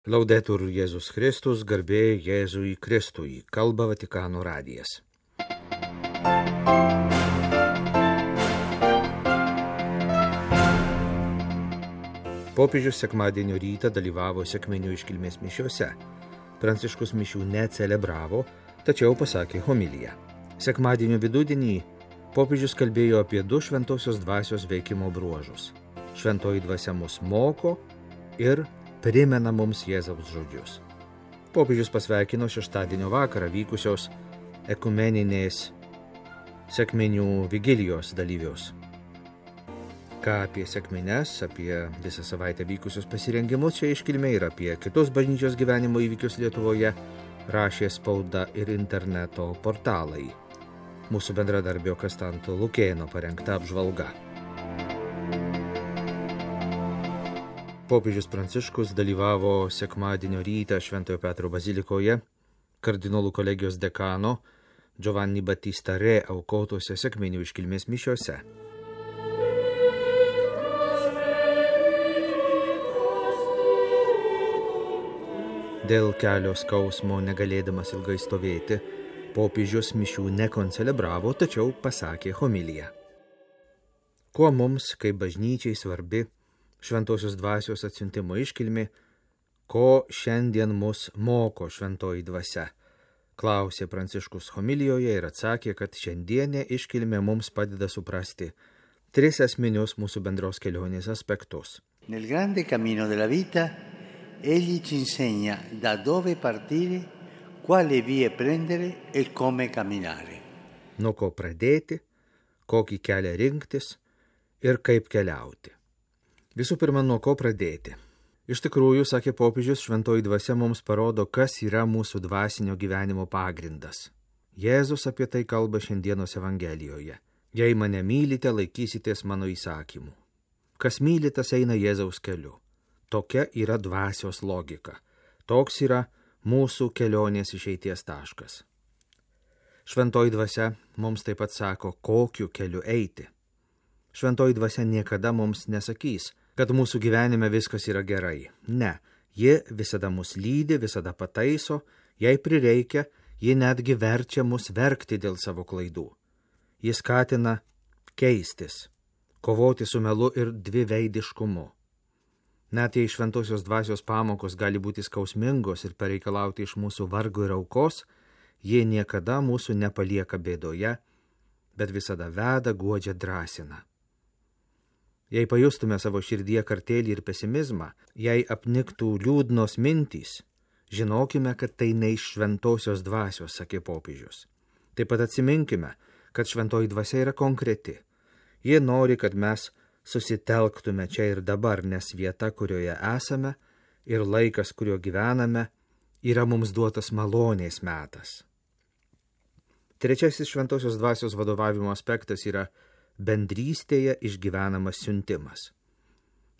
Laudetur Jėzus Kristus, garbė Jėzui Kristui, kalba Vatikano radijas. Popiežius sekmadienio rytą dalyvavo sekminių iškilmės mišiose. Pranciškus mišių necelebravo, tačiau pasakė homiliją. Sekmadienio vidudienį popiežius kalbėjo apie du šventosios dvasios veikimo bruožus. Šventoji dvasia mus moko ir primena mums Jėzaus žodžius. Popiežius pasveikino šeštadienio vakarą vykusios ekumeninės sekminių vigilijos dalyvius. Ką apie sekmines, apie visą savaitę vykusius pasirengimus čia iškilmė ir apie kitus bažnyčios gyvenimo įvykius Lietuvoje rašė spauda ir interneto portalai. Mūsų bendradarbio Kastanto Lukėno parengta apžvalga. Popiežius Pranciškus dalyvavo sekmadienio rytą Šventojo Petro bazilikoje, kardinolų kolegijos dekano Giovanni Battista Re aukotose sekminių iškilmės mišiose. Dėl kelio skausmo negalėdamas ilgai stovėti, popiežius mišių nekoncelebravo, tačiau pasakė homiliją. Kuo mums, kaip bažnyčiai, svarbi Šventosios dvasios atsiuntimo iškilmė, ko šiandien mus moko šventoji dvasia, klausė Pranciškus homilijoje ir atsakė, kad šiandienė iškilmė mums padeda suprasti tris esminius mūsų bendros kelionės aspektus. Nel grande cammino della vita, egli ci insegna da dove partire, quale vie prendere e come camminare. Nuo ko pradėti, kokį kelią rinktis ir kaip keliauti. Visų pirma, nuo ko pradėti. Iš tikrųjų, sakė popiežius, šventoji dvasia mums parodo, kas yra mūsų dvasinio gyvenimo pagrindas. Jėzus apie tai kalba šiandienos Evangelijoje. Jei mane mylite, laikysitės mano įsakymų. Kas myli, tas eina Jėzaus keliu. Tokia yra dvasios logika. Toks yra mūsų kelionės išeities taškas. Šventoji dvasia mums taip pat sako, kokiu keliu eiti. Šventoji dvasia niekada mums nesakys, kad mūsų gyvenime viskas yra gerai. Ne, ji visada mus lydi, visada pataiso, jei prireikia, ji netgi verčia mus verkti dėl savo klaidų. Ji skatina keistis, kovoti su melu ir dviveidiškumu. Net jei šventosios dvasios pamokos gali būti skausmingos ir pareikalauti iš mūsų vargo ir aukos, ji niekada mūsų nepalieka bėdoje, bet visada veda, guodžia, drąsina. Jei pajustume savo širdyje kartėlį ir pesimizmą, jei apniktų liūdnos mintys, žinokime, kad tai ne iš šventosios dvasios, sakė popiežius. Taip pat atsiminkime, kad šventoji dvasia yra konkreti. Ji nori, kad mes susitelktume čia ir dabar, nes vieta, kurioje esame, ir laikas, kurio gyvename, yra mums duotas malonės metas. Trečiasis šventosios dvasios vadovavimo aspektas yra bendrystėje išgyvenamas siuntimas.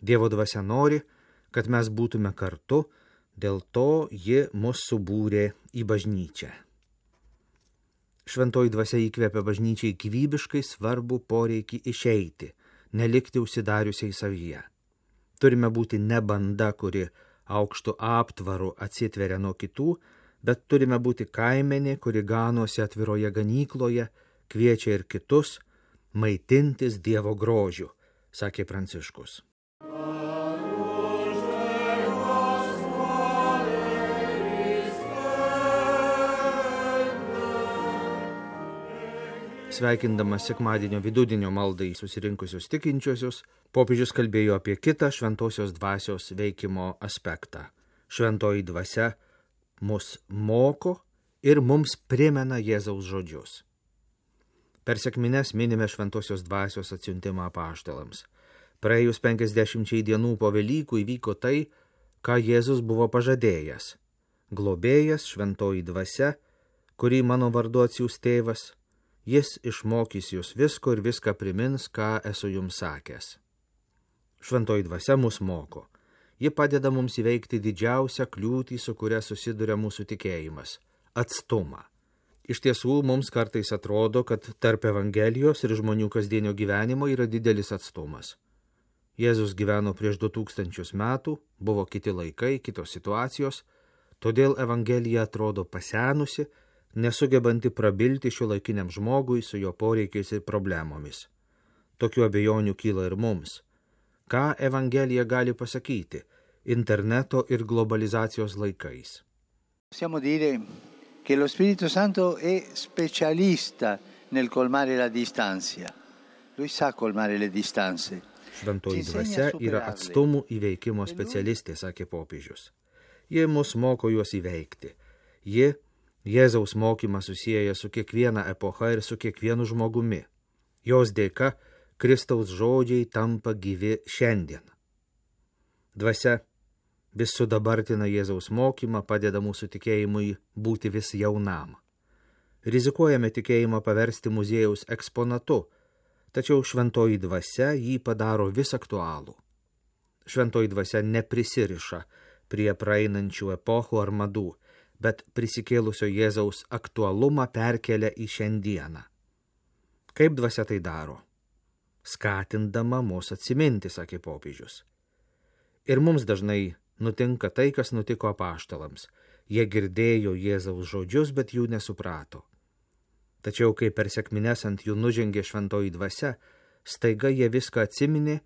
Dievo dvasia nori, kad mes būtume kartu, dėl to ji mus subūrė į bažnyčią. Šventoji dvasia įkvepia bažnyčiai gyvybiškai svarbų poreikį išeiti, nelikti užsidariusiai savyje. Turime būti ne banda, kuri aukštu aptvaru atsitveria nuo kitų, bet turime būti kaimenė, kuri ganosi atviroje ganykloje, kviečia ir kitus maitintis Dievo grožiu, sakė Pranciškus. Sveikindamas sekmadienio vidudienio maldai susirinkusius tikinčiuosius, popiežius kalbėjo apie kitą šventosios dvasios veikimo aspektą. Šventoji dvasia mus moko ir mums primena Jėzaus žodžius. Per sekmines minime šventosios dvasios atsiuntimą apaštalams. Praėjus 50 dienų po Velykų įvyko tai, ką Jėzus buvo pažadėjęs. Globėjas, šventoji dvasia, kurį mano vardu atsiųs tėvas, jis išmokys jūs visko ir viską primins, ką esu jums sakęs. Šventoji dvasia mus moko. Ji padeda mums įveikti didžiausią kliūtį, su kuria susiduria mūsų tikėjimas – atstumą. Iš tiesų, mums kartais atrodo, kad tarp Evangelijos ir žmonių kasdienio gyvenimo yra didelis atstumas. Jėzus gyveno prieš 2000 metų, buvo kiti laikai, kitos situacijos, todėl Evangelija atrodo pasenusi, nesugebanti prabilti šiuolaikiniam žmogui su jo poreikiais ir problemomis. Tokių abejonių kyla ir mums. Ką Evangelija gali pasakyti interneto ir globalizacijos laikais? Possiamo dire che lo Spirito Santo è specialista nel colmare la distanza. Lui sa colmare le distanze. Šventoji dvasia yra atstumų įveikimo specialistė, sakė popiežius. Ji mus moko juos įveikti. Ji Jėzaus mokymą susieja su kiekviena epocha ir su kiekvienu žmogumi. Jos dėka Kristaus žodžiai tampa gyvi šiandien. Dvasia vis sudabartina Jėzaus mokymą, padeda mūsų tikėjimui būti vis jaunam. Rizikuojame tikėjimą paversti muziejaus eksponatu, tačiau šventoji dvasia jį padaro vis aktualų. Šventoji dvasia neprisiriša prie praeinančių epochų ar madų, bet prisikėlusio Jėzaus aktualumą perkelia į šiandieną. Kaip dvasia tai daro? Skatindama mus atsiminti, sakė popiežius. Ir mums dažnai nutinka tai, kas nutiko apaštalams. Jie girdėjo Jėzaus žodžius, bet jų nesuprato. Tačiau, kai per sekmines ant jų nužengė šventoji dvasia, staiga jie viską atsiminė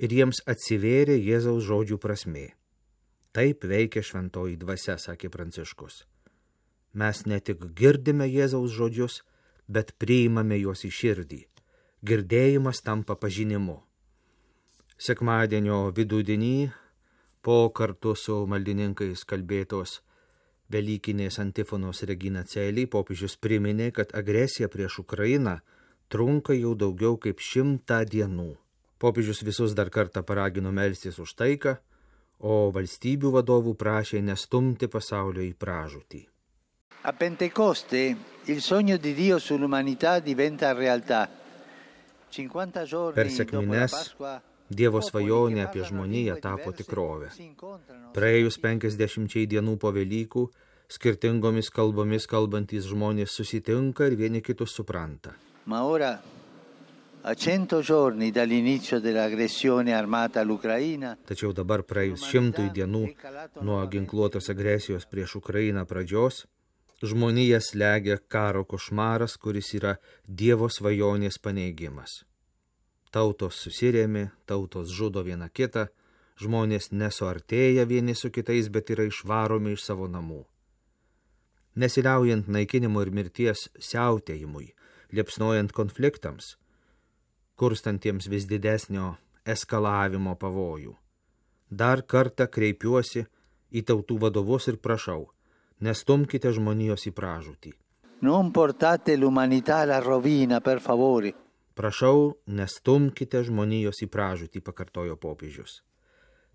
ir jiems atsivėrė Jėzaus žodžių prasmė. Taip veikia šventoji dvasia, sakė Pranciškus. Mes ne tik girdime Jėzaus žodžius, bet priimame juos į širdį. Girdėjimas tampa pažinimu. Sekmadienio vidudienį, po kartu su maldininkais kalbėtos Velykinės antifonos Regina Coeli, popiežius priminė, kad agresija prieš Ukrainą trunka jau daugiau kaip 100 dienų. Popiežius visus dar kartą paragino melstis už taiką, o valstybių vadovų prašė nestumti pasaulio į pražūtį. A Pentecoste il sogno di Dio sull'umanità diventa realtà. 50 giorni Per dopo la sekmines Pasqua, Dievo svajonė apie žmoniją tapo tikrovė. Praėjus 50 dienų po Velykų, skirtingomis kalbomis kalbantys žmonės susitinka ir vieni kitus supranta. Ma ora, a 100 giorni dall'inizio dell'aggressione armata all'Ucraina, Tačiau dabar praėjus 100 dienų nuo ginkluotos agresijos prieš Ukrainą pradžios, žmoniją slegia karo košmaras, kuris yra Dievo svajonės paneigimas. Tautos susirėmė, tautos žudo viena kitą, žmonės nesuartėja vieni su kitais, bet yra išvaromi iš savo namų. Nesiliaujant naikinimo ir mirties siautėjimui, liepsnojant konfliktams, kurstantiems vis didesnio eskalavimo pavojų. Dar kartą kreipiuosi į tautų vadovus ir prašau, nestumkite žmonijos į pražūtį. non portate l'umanità alla rovina, per favore. Prašau, nestumkite žmonijos į pražūtį, pakartojo popiežius.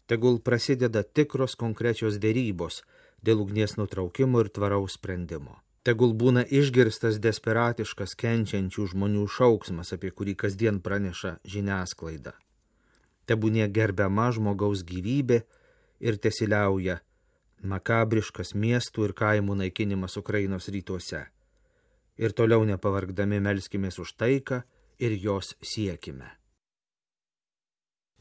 Tegul prasideda tikros konkrečios dėrybos dėl ugnies nutraukimo ir tvaraus sprendimo. Tegul būna išgirstas desperatiškas kenčiančių žmonių šauksmas, apie kurį kasdien praneša žiniasklaida. Tebūnie gerbiama žmogaus gyvybė ir tesiliauja makabriškas miestų ir kaimų naikinimas Ukrainos rytuose. Ir toliau nepavargdami melskimės už taiką ir jos siekime.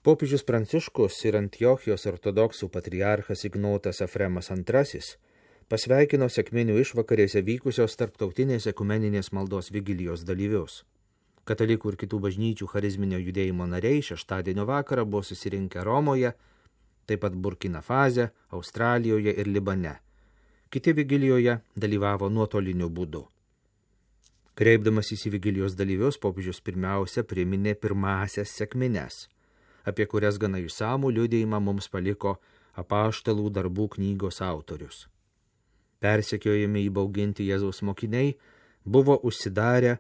Popiežius Pranciškus ir Antiochijos ortodoksų patriarchas Ignotas Efremas II pasveikino sekminių išvakarėse vykusios tarptautinės ekumeninės maldos vigilijos dalyvius. Katalikų ir kitų bažnyčių charizminio judėjimo nariai šeštadienio vakarą buvo susirinkę Romoje, taip pat Burkina Fase, Australijoje ir Libane. Kiti vigilijoje dalyvavo nuotoliniu būdu. Kreipdamas į vigilijos dalyvius, popiežius pirmiausia priminė pirmąsias sekmines, apie kurias gana išsamų liudijimą mums paliko Apaštalų darbų knygos autorius. Persekiojami įbauginti Jėzaus mokiniai buvo užsidarę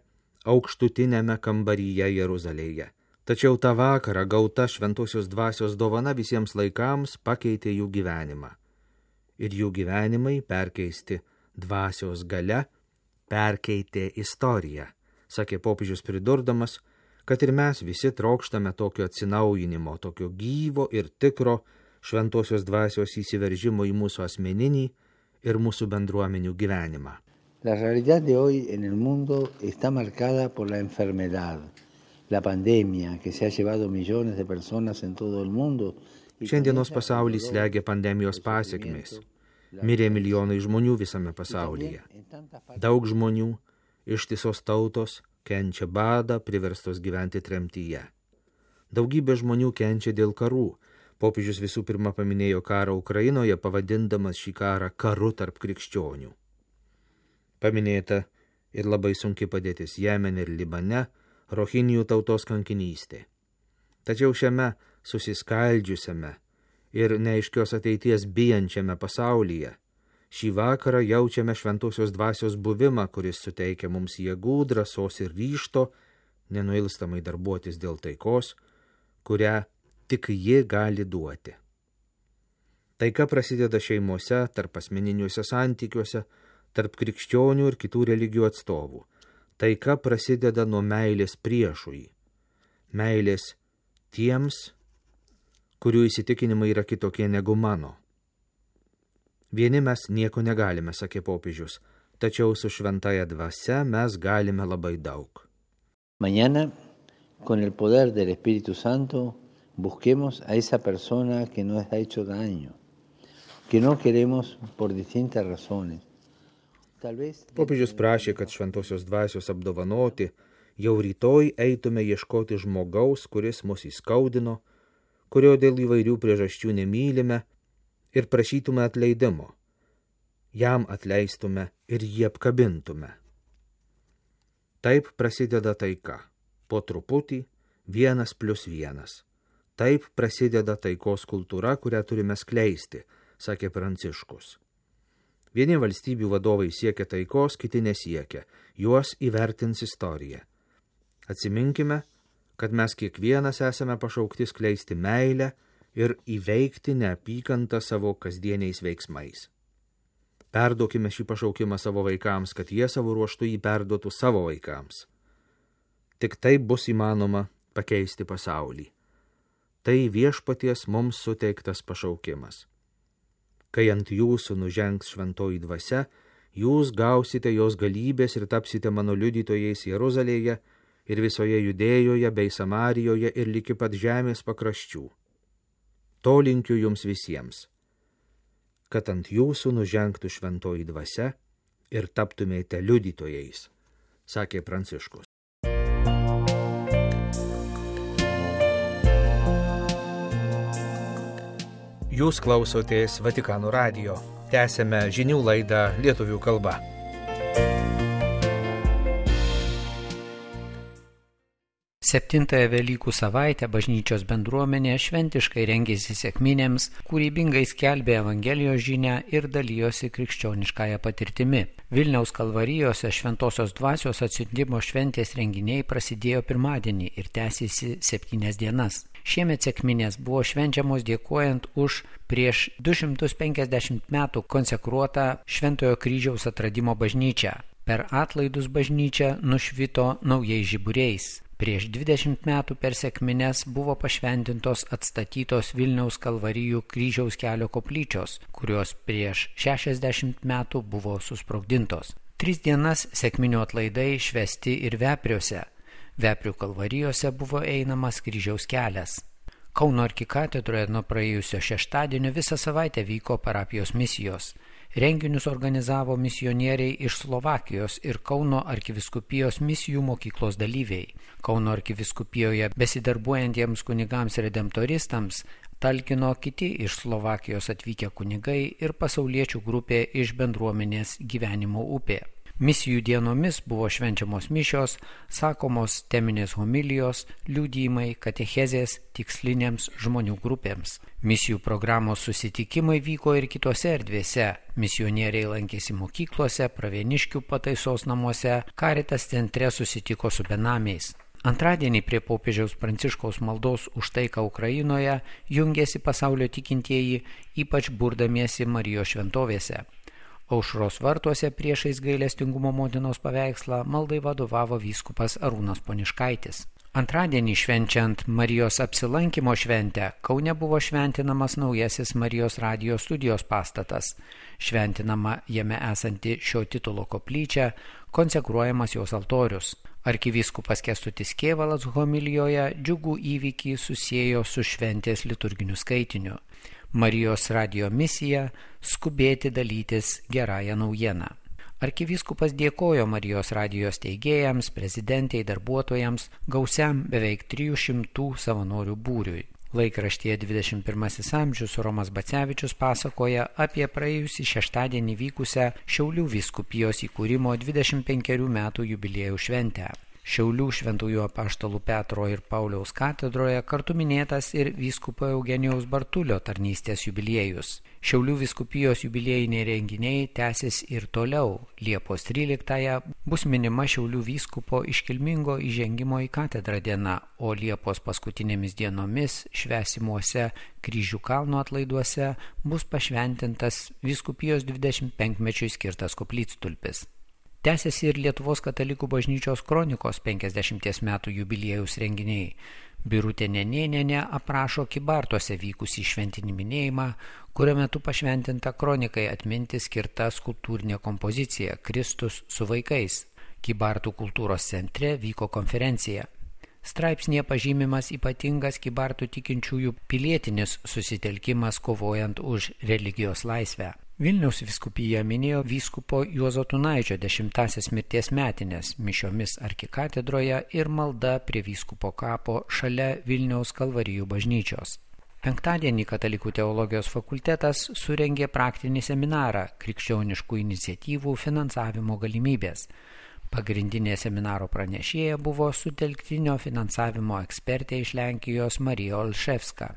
aukštutinėme kambaryje Jeruzalėje. Tačiau tą vakarą gauta šventosios dvasios dovana visiems laikams pakeitė jų gyvenimą. Ir jų gyvenimai perkeisti dvasios galia perkeitė istoriją, sakė popiežius pridurdamas, kad ir mes visi trokštame tokio atsinaujinimo, tokio gyvo ir tikro šventosios dvasios įsiveržimo į mūsų asmeninį ir mūsų bendruomenių gyvenimą. La realidad de hoy en el mundo está marcada por la enfermedad, la pandemia que se ha llevado millones de personas en todo el mundo. Šiandienos pasaulį slegia pandemijos pasekmės. Mirė milijonai žmonių visame pasaulyje. Daug žmonių, ištisos tautos, kenčia badą, priverstos gyventi tremtyje. Daugybė žmonių kenčia dėl karų. Popiežius visų pirma paminėjo karą Ukrainoje, pavadindamas šį karą karu tarp krikščionių. Paminėta ir labai sunki padėtis Jemene ir Libane, Rohinijų tautos kankinystė. Tačiau šiame susiskaldžiusiame ir neaiškios ateities bijančiame pasaulyje šį vakarą jaučiame šventosios dvasios buvimą, kuris suteikia mums jėgų, drąsos ir ryžto nenuilstamai darbuotis dėl taikos, kurią tik ji gali duoti. Taika prasideda šeimose, tarp asmeniniuose santykiuose, tarp krikščionių ir kitų religijų atstovų. Taika prasideda nuo meilės priešui, meilės tiems, kurių įsitikinimai yra kitokie negu mano. Vieni mes nieko negalime, sakė popiežius, tačiau su šventaja dvasia mes galime labai daug. Mañana, con el poder del Espíritu Santo, busquemos a esa persona que nos ha hecho daño, que no queremos por distintas razones. Popiežius prašė, kad šventosios dvasios apdovanoti jau rytoj eitume ieškoti žmogaus, kuris mus įskaudino, kurio dėl įvairių priežasčių nemylime, ir prašytume atleidimo. Jam atleistume ir jį apkabintume. Taip prasideda taika. Po truputį 1+1. Taip prasideda taikos kultūra, kurią turime skleisti, sakė Pranciškus. Vieni valstybių vadovai siekia taikos, kiti nesiekia. Juos įvertins istorija. Atsiminkime, kad mes kiekvienas esame pašaukti skleisti meilę ir įveikti neapykantą savo kasdieniais veiksmais. Perduokime šį pašaukimą savo vaikams, kad jie savo ruožtu jį perduotų savo vaikams. Tik taip bus įmanoma pakeisti pasaulį. Tai viešpaties mums suteiktas pašaukimas. Kai ant jūsų nužengs šventoji dvasia, jūs gausite jos galybės ir tapsite mano liudytojais Jeruzalėje ir visoje Judėjoje bei Samarijoje ir liki pat žemės pakraščių. To linkiu jums visiems, kad ant jūsų nužengtų šventoji dvasia ir taptumėte liudytojais, sakė Pranciškus. Jūs klausotės Vatikano radijo. Tęsėme žinių laidą lietuvių kalba. Septintąją Velykų savaitę bažnyčios bendruomenė šventiškai rengėsi sekminėms, kūrybingai skelbė Evangelijos žinią ir dalijosi krikščioniškąją patirtimi. Vilniaus Kalvarijose šventosios dvasios atsiuntimo šventės renginiai prasidėjo pirmadienį ir tęsėsi 7 dienas. Šiemet sekminės buvo švenčiamos dėkojant už prieš 250 metų konsekruotą Šventojo kryžiaus atradimo bažnyčią. Per atlaidus bažnyčia nušvito naujais žiburiais. Prieš 20 metų per sekmines buvo pašventintos atstatytos Vilniaus Kalvarijų kryžiaus kelio koplyčios, kurios prieš 60 metų buvo susprogdintos. 3 dienas sekminių atlaidai švesti ir Vepriuose. Veprių Kalvarijose buvo einamas kryžiaus kelias. Kauno arkikatedroje nuo praėjusio šeštadienio visą savaitę vyko parapijos misijos. Renginius organizavo misionieriai iš Slovakijos ir Kauno arkivyskupijos misijų mokyklos dalyviai. Kauno arkivyskupijoje besidarbuojantiems kunigams redemptoristams talkino kiti iš Slovakijos atvykę kunigai ir pasauliečių grupė iš bendruomenės Gyvenimo upė. Misijų dienomis buvo švenčiamos mišios, sakomos teminės homilijos, liudijimai, katechezės tikslinėms žmonių grupėms. Misijų programos susitikimai vyko ir kitose erdvėse. Misionieriai lankėsi mokyklose, Pravieniškių pataisos namuose, Caritas centre susitiko su benamiais. Antradienį prie popiežiaus Pranciškaus maldos už taiką Ukrainoje jungėsi pasaulio tikintieji, ypač burdamiesi Marijos šventovėse. Aušros vartuose priešais gailestingumo motinos paveikslą maldai vadovavo vyskupas Arūnas Poniškaitis. Antradienį švenčiant Marijos apsilankimo šventę Kaune buvo šventinamas naujasis Marijos radijo studijos pastatas, šventinama jame esanti šio titulo koplyčia, konsekruojamas jos altorius. Arkivyskupas Kęstutis Kėvalas homilijoje džiugų įvykį susiejo su šventės liturginiu skaitiniu. Marijos radijo misija – skubėti dalytis gerąją naujieną. Arkivyskupas dėkojo Marijos radijos steigėjams, prezidentei, darbuotojams, gausiam beveik 300 savanorių būriui. Laikraštyje 21 amžius Romas Bacevičius pasakoja apie praėjusį šeštadienį vykusią Šiaulių vyskupijos įkūrimo 25 metų jubiliejų šventę. Šiaulių Šventųjų apaštalų Petro ir Pauliaus katedroje kartu minėtas ir vyskupo Eugenijaus Bartulio tarnystės jubiliejus. Šiaulių vyskupijos jubiliejiniai renginiai tęsis ir toliau. Liepos 13-ąją bus minima Šiaulių vyskupo iškilmingo įžengimo į katedrą diena, o Liepos paskutinėmis dienomis švęsimuose Kryžių kalno atlaiduose bus pašventintas vyskupijos 25-mečiui skirtas koplytstulpis. Tęsiasi ir Lietuvos katalikų bažnyčios kronikos 50 metų jubiliejaus renginiai. Birutė Nenėnienė aprašo Kybartuose vykusį šventinį minėjimą, kurio metu pašventinta kronikai atminti skirta skulptūrinė kompozicija Kristus su vaikais. Kybartų kultūros centre vyko konferencija. Straipsnėje pažymimas ypatingas Kybartų tikinčiųjų pilietinis susitelkimas kovojant už religijos laisvę. Vilniaus vyskupija minėjo vyskupo Juozo Tunaičio 10-asias mirties metines mišiomis arkikatedroje ir malda prie vyskupo kapo šalia Vilniaus Kalvarijų bažnyčios. Penktadienį Katalikų teologijos fakultetas surengė praktinį seminarą krikščioniškų iniciatyvų finansavimo galimybės. Pagrindinė seminaro pranešėja buvo sutelktinio finansavimo ekspertė iš Lenkijos Marija Olševska.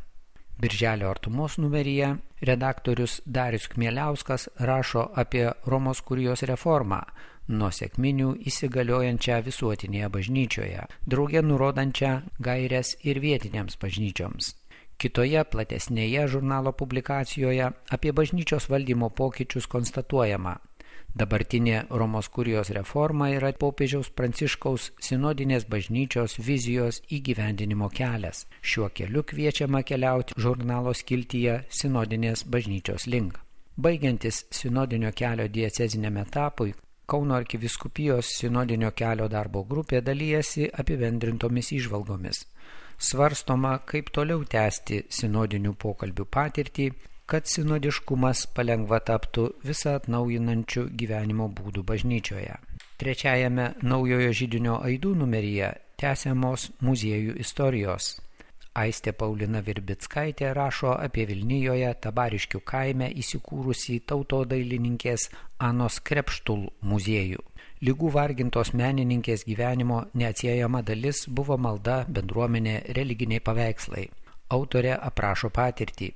Birželio artumos numeryje redaktorius Darius Kmieliauskas rašo apie Romos kurijos reformą, nuo sekminių įsigaliojančią visuotinėje bažnyčioje, drauge nurodančią gaires ir vietinėms bažnyčioms. Kitoje platesnėje žurnalo publikacijoje apie bažnyčios valdymo pokyčius konstatuojama: dabartinė Romos kurijos reforma yra popiežiaus Pranciškaus sinodinės bažnyčios vizijos įgyvendinimo kelias. Šiuo keliu kviečiama keliauti žurnalo skiltyje sinodinės bažnyčios link. Baigiantis sinodinio kelio dieceziniam etapui, Kauno arkivyskupijos sinodinio kelio darbo grupė dalyjasi apibendrintomis įžvalgomis. Svarstoma, kaip toliau tęsti sinodinių pokalbių patirtį, kad sinodiškumas palengva taptų visą atnaujinančių gyvenimo būdų bažnyčioje. Trečiajame naujojo židinio aidų numeryje tęsiamos muziejų istorijos. Aistė Paulina Virbickaitė rašo apie Vilnijoje Tabariškių kaime įsikūrusį tautodailininkės Anos Krepštul muziejų. Ligų vargintos menininkės gyvenimo neatsiejama dalis buvo malda, bendruomenė, religiniai paveikslai. Autorė aprašo patirtį.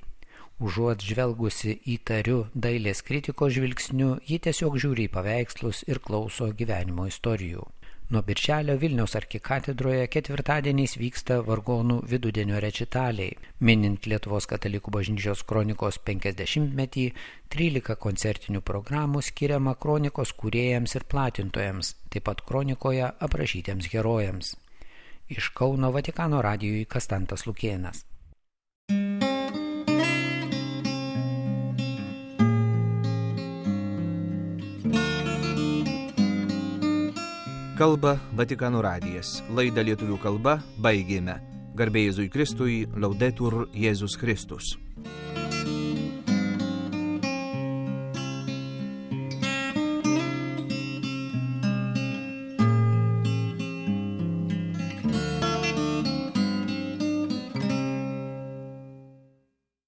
Užuot žvelgusi įtariu dailės kritikos žvilgsniu, ji tiesiog žiūri į paveikslus ir klauso gyvenimo istorijų. Nuo birželio Vilniaus arkikatedroje ketvirtadieniais vyksta vargonų vidudienio rečitaliai. Minint Lietuvos katalikų bažnyčios kronikos 50-metį, 13 koncertinių programų skiriama kronikos kūrėjams ir platintojams, taip pat kronikoje aprašytiems herojams. Iš Kauno Vatikano radijui Kastantas Lukėnas. Kalba Vatikano radijas. Laidą lietuvių kalba baigėme. Garbė Jėzui Kristui, Laudetur Jėzus Kristus.